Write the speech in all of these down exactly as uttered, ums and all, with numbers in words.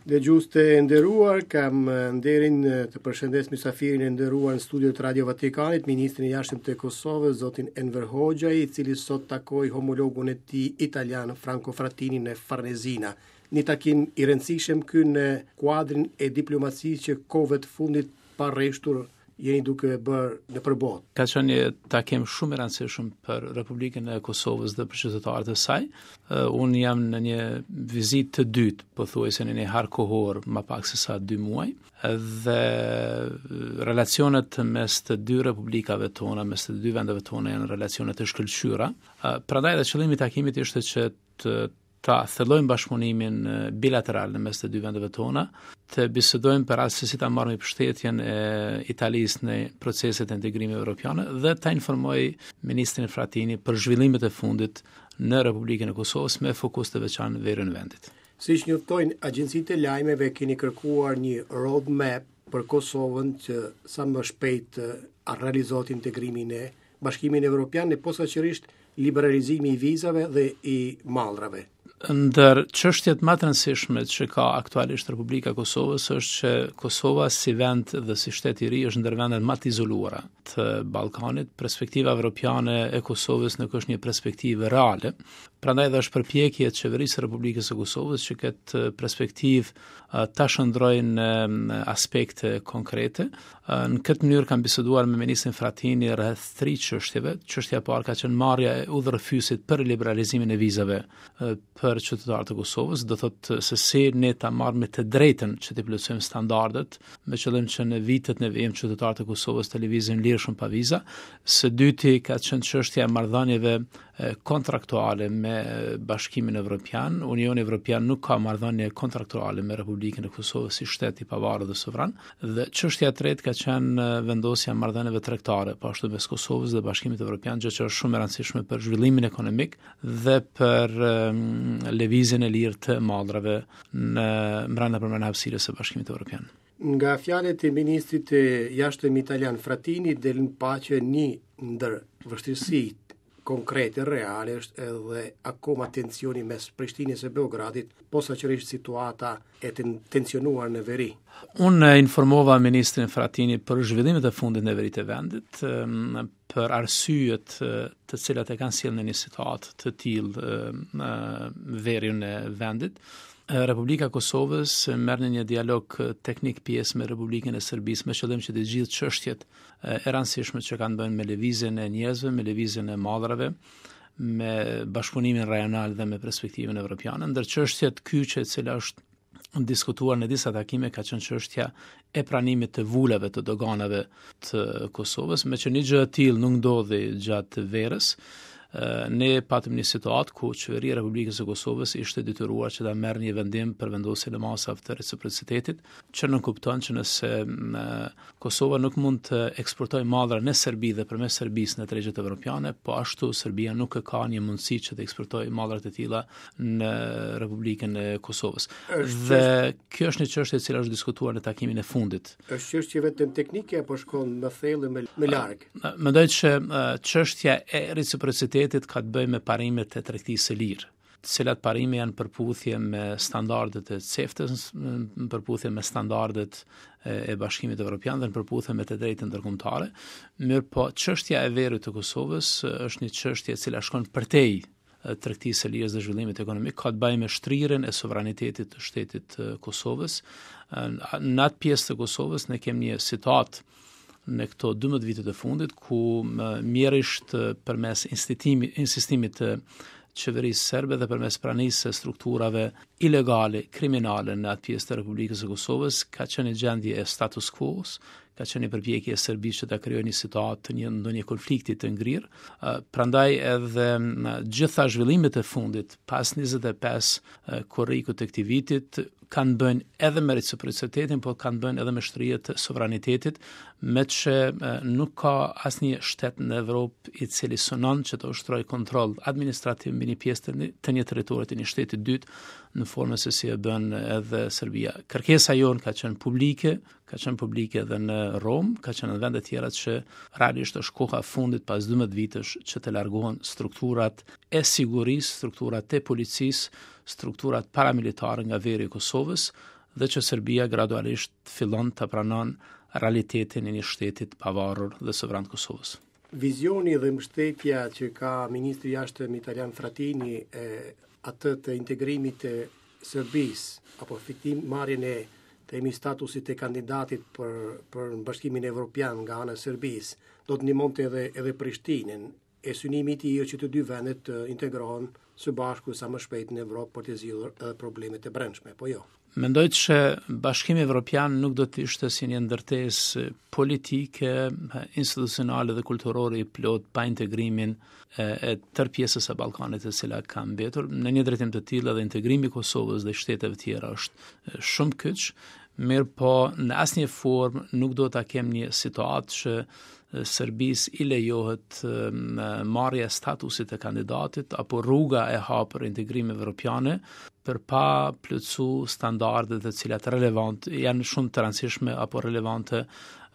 Dëgjues të nderuar, kam nderin të përshëndes mysafirin e nderuar në studio të Radio Vatikanit, ministrin e Jashtëm të Kosovës, zotin Enver Hoxhaj, i cili sot takoi homologun e tij italian Franco Frattini në Farnesina. Një takim i rëndësishëm ky në kuadrin e diplomacisë që kohëve të fundit pa rreshtur jeni duke bërë nëpër botë. Ka qenë një takim shumë i rëndësishëm për Republikën e Kosovës dhe për qytetarët e saj. Unë jam në një vizitë të dytë, pothuajse në një hark kohor më pak se sa dy muaj, dhe relacionet mes të dy republikave tona, mes të dy vendeve tona janë relacione të shkëlqyera. Prandaj edhe qëllimi i takimit ishte që të ta thellojmë bashkëpunimin bilateral në mes të dy vendeve tona, të bisedojmë për atë se si ta marrim mbështetjen e Italisë në proceset e integrimit evropiane dhe ta informoj ministrin Frattini për zhvillimet e fundit në Republikën e Kosovës me fokus të veçantë veriun e vendit. Siç njoftojnë agjencitë e lajmeve, keni kërkuar një roadmap për Kosovën që sa më shpejt të realizohet integrimi në Bashkimin Evropian e posaçërisht liberalizimi i vizave dhe i mallrave. Ndër çështjet më të rëndësishme që ka aktualisht Republika e Kosovës është që Kosova si vend dhe si shtet i ri është ndër vendet më të izoluara të Ballkanit. Perspektiva evropiane e Kosovës nuk është një perspektivë reale. Prandaj dhe është përpjekje e qeverisë së Republikës së Kosovës që këtë perspektivë ta shndërrojë në aspekte konkrete. Në këtë mënyrë kam biseduar me ministrin Frattini rreth tri çështjeve. Çështja e parë ka qenë marrja e udhërrëfyesit për liberalizimin e vizave për qytetarët e Kosovës, do thotë se si ne ta marrim të drejtën që të plotësojmë standardet, me qëllim që në vitet në vijim qytetarët e Kosovës të lëvizin lirshëm pa viza. Së dyti ka qenë çështja e marrëdhënieve kontraktuale me Bashkimin Evropian. Unioni Evropian nuk ka marrëdhënie kontraktuale me Republikën e Kosovës si shtet i pavarur dhe sovran. Dhe çështja e tretë ka qenë vendosja e marrëdhënieve tregtare, po ashtu mes Kosovës dhe Bashkimit Evropian, gjë që është shumë e rëndësishme për zhvillimin ekonomik dhe për lëvizjen e lirë të mallrave në brenda përmend hapësirës së Bashkimit Evropian. Nga fjalët e ministrit të Jashtëm italian Frattini del në paqe një ndër vështirësitë konkrete, reale, është edhe akoma tensioni mes Prishtinës e Beogradit, posaçërisht situata e tensionuar në veri. Unë informova ministrin Frattini për zhvillimet e fundit në veri të vendit, për arsyet të cilat e kanë sjellë në një situatë të tillë në veriun e vendit. Republika e Kosovës merr në një dialog teknik pjesë me Republikën e Serbisë me qëllim që të gjithë çështjet e rëndësishme që kanë bënë me lëvizjen e njerëzve, me lëvizjen e mallrave, me bashkëpunimin rajonal dhe me perspektivën evropiane. Ndër çështjet kyçe e cila është diskutuar në disa takime ka qenë çështja e pranimit të vulave të doganave të Kosovës, me që një gjë e tillë nuk ndodhi gjatë verës. Ne patëm një situatë ku qeveria e Republikës së Kosovës ishte detyruar që ta merr një vendim për vendosjen e masave të reciprocitetit, që nënkupton që nëse Kosova nuk mund të eksportojë mallra në Serbi dhe përmes Serbisë në tregjet evropiane, po ashtu Serbia nuk e ka një mundësi që të eksportojë mallra të tilla në Republikën e Kosovës. Dhe kjo është një çështje e cila është diskutuar në takimin e fundit. Është çështje vetëm teknike apo shkon më thellë, më, më larg? Mendoj që çështja e reciprocitetit ka të bëjë me parimet e tregtisë së lirë, të cilat parime janë përputhje me standardet e CEFTA-s, në përputhje me standardet e Bashkimit Evropian dhe në përputhje me të drejtën ndërkombëtare. Mirë po, çështja e veriut të Kosovës është një çështje e cila shkon përtej tregtisë së lirë dhe zhvillimit ekonomik, ka të bëjë me shtrirjen e sovranitetit të shtetit të Kosovës. Në atë pjesë të Kosovës ne kemi një situatë në këto dymbëdhjetë vitet e fundit ku mjerisht përmes insistimit të qeverisë serbe dhe përmes pranisë së strukturave ilegale, kriminale në atë pjesë të Republikës së Kosovës, ka qenë një gjendje e status quo-s, ka qenë një përpjekje e Serbisë që ta krijojë një situatë të një ndonjë konflikti të ngrirë. Prandaj edhe gjitha zhvillimet e fundit pas njëzet e pesë korrikut të këtij vitit kanë bënë edhe me reciprocitetin, po kanë bënë edhe me shtrirje të sovranitetit, me që nuk ka asnjë shtet në Evropë i cili synon që të ushtrojë kontroll administrativ mbi një pjesë të një, të një territori të një shteti të dytë në formën se si e bën edhe Serbia. Kërkesa jonë ka qenë publike, ka qenë publike edhe në Romë, ka qenë në vende tjera që realisht është koha e fundit pas dymbëdhjetë vitesh që të largohen strukturat e sigurisë, strukturat e policisë, strukturat paramilitare nga veri i Kosovës dhe që Serbia gradualisht fillon të pranon realitetin e një shteti të pavarur dhe sovran të Kosovës. Vizioni dhe mbështetja që ka ministri i Jashtëm italian Frattini e atë të integrimit të Serbisë apo fitim marrjen e themi statusit të kandidatit për për në Bashkimin Evropian nga ana e Serbisë, do të ndihmonte edhe edhe Prishtinën. E synimi i tij është që të dy vendet të integrohen së bashku sa më shpejt në Evropë për të zgjidhur edhe problemet e brendshme, po jo. Mendoj që Bashkimi Evropian nuk do të ishte si një ndërtesë politike, institucionale dhe kulturore i plot pa integrimin e, e tërë pjesës së Ballkanit e cila ka mbetur. Në një drejtim të tillë edhe integrimi i Kosovës dhe shteteve tjera është shumë kyç, mirë po në asnjë formë nuk do ta kem një situatë që Serbisë i lejohet marrja e statusit të kandidatit apo rruga e hapur integrim evropiane për pa plotësu standardet të cilat relevant janë shumë të rëndësishme apo relevante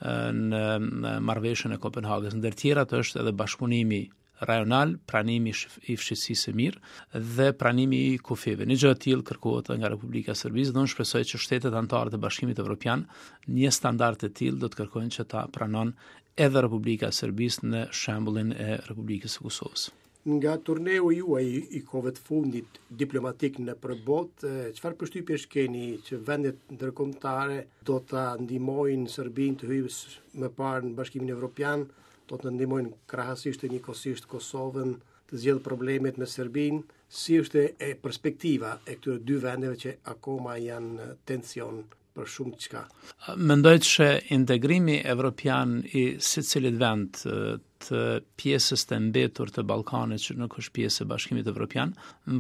në, në marrëveshjen e Kopenhagës. Ndër tjerat është edhe bashkëpunimi rajonal, pranimi i fqinjësisë së mirë dhe pranimi i kufijve. Një gjë e tillë kërkohet nga Republika e Serbisë dhe unë shpresoj që shtetet anëtare të Bashkimit Evropian një standard të tillë do të kërkojnë që ta pranon edhe Republika e Serbisë në shembullin e Republikës së Kosovës. Nga turneu juaj i kohëve të fundit diplomatik në përbot, çfarë përshtypjesh keni që vendet ndërkombëtare do ta ndihmojnë Serbinë të hyjë më parë në Bashkimin Evropian, do të ndihmojnë krahasisht e njëkohësisht Kosovën të zgjidhë problemet me Serbinë? Si është e perspektiva e këtyre dy vendeve që akoma janë në tension për shumë çka? Mendoj që integrimi evropian i secilit vend të pjesës të mbetur të Ballkanit që nuk është pjesë e Bashkimit Evropian,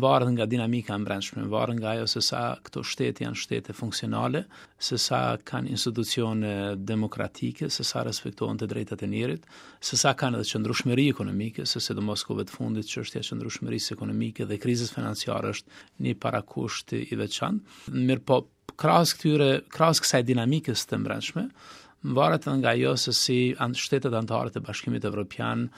varet nga dinamika e brendshme, varet nga ajo se sa këto shtete janë shtete funksionale, se sa kanë institucione demokratike, se sa respektohen të drejtat e njerit, se sa kanë edhe qëndrueshmëri ekonomike, se sidomos kohëve të fundit çështja e qëndrueshmërisë ekonomike dhe krizës financiare është një parakusht i veçantë. Mirë po, krahas këtyre, krahas kësaj dinamikës të brendshme, varet edhe nga ajo se si shtetet anëtare të Bashkimit Evropian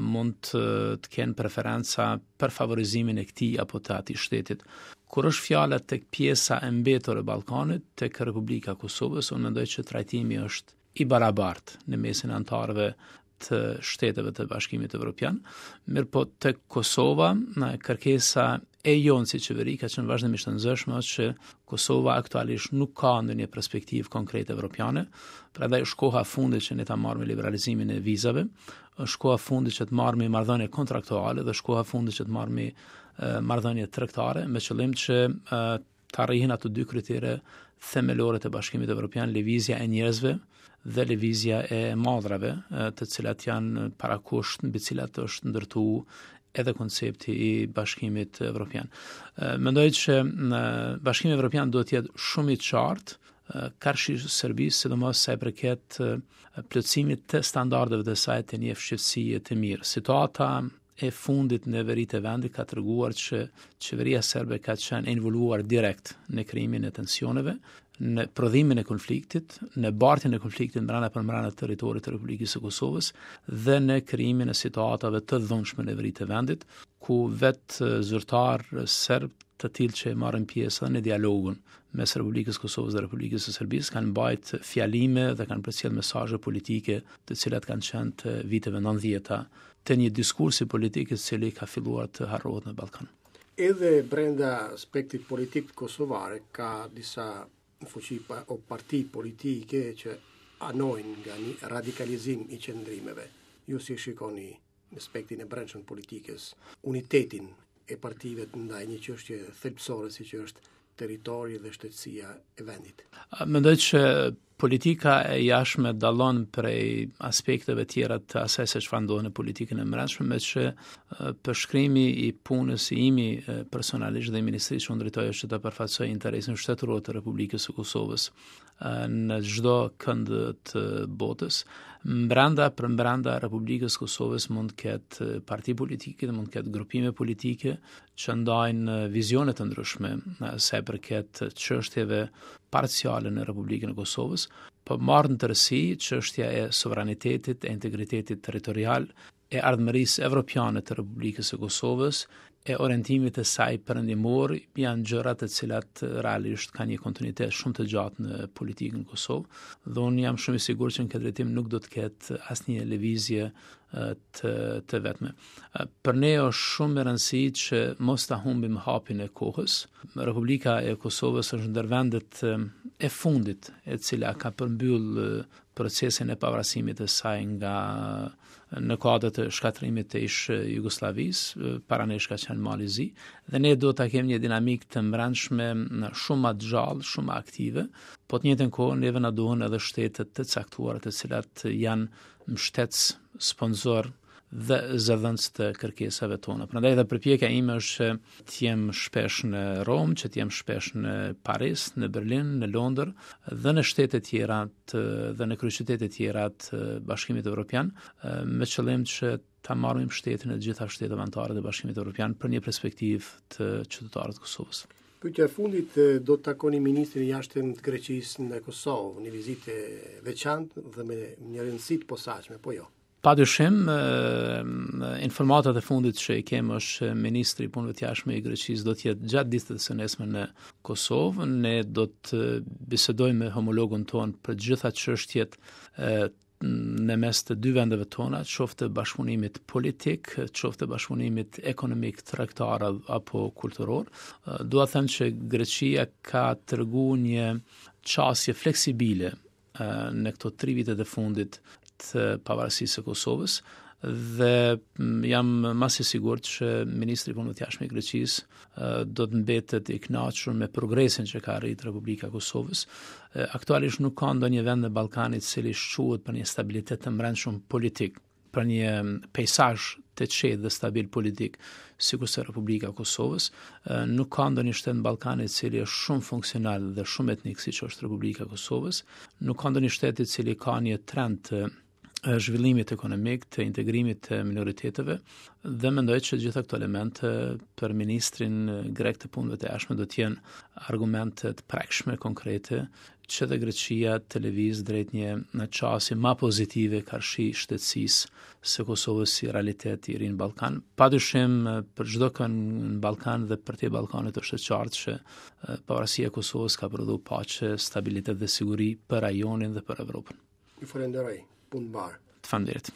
mund të, të kenë preferenca për favorizimin e këtij apo të atij shtetit. Kur është fjala tek pjesa e mbetur e Ballkanit, tek Republika e Kosovës, unë mendoj që trajtimi është i barabartë në mesin e anëtarëve të shteteve të Bashkimit Evropian. Mirë po tek Kosova, në kërkesa e jonë si qeveri ka qenë vazhdimisht e nzëshme që Kosova aktualisht nuk ka ndonjë perspektivë konkrete evropiane, prandaj është koha fundit që ne ta marrim liberalizimin e vizave, është koha fundit që të marrim marrëdhënie kontraktuale dhe është koha fundit që të marrim marrëdhënie tregtare me qëllim që të arrihen ato dy kritere themelore të Bashkimit Evropian, lëvizja e njerëzve dhe lëvizja e mallrave, të cilat janë parakusht mbi cilat është ndërtu edhe koncepti i Bashkimit Evropian. Mendoj që Bashkimi Evropian duhet të jetë shumë i qartë karshi Serbisë, sidomos sa i përket plotësimit të standardeve të saj të një fqinjësie të mirë. Situata e fundit në veri të vendit ka treguar që qeveria serbe ka qenë e involuar direkt në krijimin e tensioneve, në prodhimin e konfliktit, në bartjen e konfliktit mbrana për mbrana territorit të Republikës së Kosovës dhe në krijimin e situatave të dhunshme në veri të vendit, ku vetë zyrtar serb të tillë që marrin pjesë edhe në dialogun mes Republikës së Kosovës dhe Republikës së Serbisë kanë mbajt fjalime dhe kanë përcjellë mesazhe politike të cilat kanë qenë të viteve nëntëdhjeta të një diskursi politik i cili ka filluar të harrohet në Ballkan. Edhe brenda aspektit politik kosovare ka disa fuqi pa, o parti politike që anojnë nga një radikalizim i qëndrimeve. Ju si shikoni në aspektin e brendshëm të politikës, unitetin e partive ndaj një çështje thelbësore siç është territori dhe shtetësia e vendit? Mendoj që politika e jashtme dallon prej aspekteve tjera të asaj se çfarë ndodh në politikën e brendshme, me që përshkrimi i punës i imi personalisht dhe i ministrisë që unë drejtoj është që të përfaqësoj interesin shtetëror të Republikës së Kosovës në çdo kënd të botës. Mbranda për mbranda Republikës së Kosovës mund të ketë parti politike dhe mund të ketë grupime politike që ndajnë vizione të ndryshme sa i përket çështjeve parciale në Republikën e Kosovës, po marrë në tërësi çështja e sovranitetit, e integritetit territorial, e ardhmërisë evropiane të Republikës së Kosovës, e orientimit të saj perëndimor janë gjëra të cilat realisht kanë një kontinuitet shumë të gjatë në politikën në Kosovë dhe unë jam shumë i sigurt që në këtë drejtim nuk do të ketë asnjë lëvizje të të vetme. Për ne është shumë me rëndësi që mos ta humbim hapin e kohës. Republika e Kosovës është ndër vendet e fundit e cila ka përmbyll procesin e pavarësimit të saj nga në kuadër të shkatërrimit të ish Jugosllavisë, para nesh ka qenë Mali i Zi, dhe ne duhet ta kemi një dinamikë të mbrendshme shumë më të gjallë, shumë më aktive, po të njëjtën kohë neve na duhen edhe shtete të caktuara të cilat janë mbështetës, sponsor dhe zëdhënës të kërkesave tona. Prandaj edhe përpjekja ime është që të jem shpesh në Romë, që të jem shpesh në Paris, në Berlin, në Londër dhe në shtete tjera të, dhe në kryeqytete tjera të Bashkimit Evropian, me qëllim që ta marrim mbështetjen e të gjitha shteteve anëtare të Bashkimit Evropian për një perspektivë të qytetarëve të Kosovës. Pyetja e fundit, do të takoni ministrin e jashtëm të Greqisë në Kosovë, një vizitë e veçantë dhe me një rëndësi të posaçme, po jo? Pa dyshim, informatat e fundit që i kemë është ministri i Punëve të Jashtme i Greqisë do të jetë gjatë ditës së nesërme në Kosovë. Ne do të bisedojmë me homologun ton për gjitha çështjet në mes të dy vendeve tona, qoftë bashkëpunimit politik, qoftë bashkëpunimit ekonomik, tregtar apo kulturor. Dua të them që Greqia ka tregu një qasje fleksibile në këto tri vitet e fundit të pavarësisë së Kosovës dhe jam më se sigurt që ministri i Punëve të Jashtme i Greqisë do të mbetet i kënaqur me progresin që ka arritur Republika e Kosovës. Aktualisht nuk ka ndonjë vend në Ballkan i cili shquhet për një stabilitet të mbrendshëm politik, për një peizazh të qetë dhe stabil politik, sikurse Republika e Kosovës. Nuk ka ndonjë shtet në Ballkan i cili është shumë funksional dhe shumë etnik siç është Republika e Kosovës. Nuk ka ndonjë shtet i cili ka një trend të zhvillimit ekonomik, të integrimit të minoriteteve dhe mendoj që gjitha këto elemente për ministrin grek të punëve të jashtme do të jenë argumente të prekshme, konkrete, që dhe Greqia të lëviz drejt një në qasje ma pozitive karshi shtetësisë së Kosovës si realitet i ri në Ballkan. Pa dyshim, për çdo kënd në Ballkan dhe përtej Ballkanit është e qartë që pavarësia e Kosovës ka prodhuar paqe, stabilitet dhe siguri për rajonin dhe për Evropën. Ju falenderoj. Punë mbarë. Të faleminderit.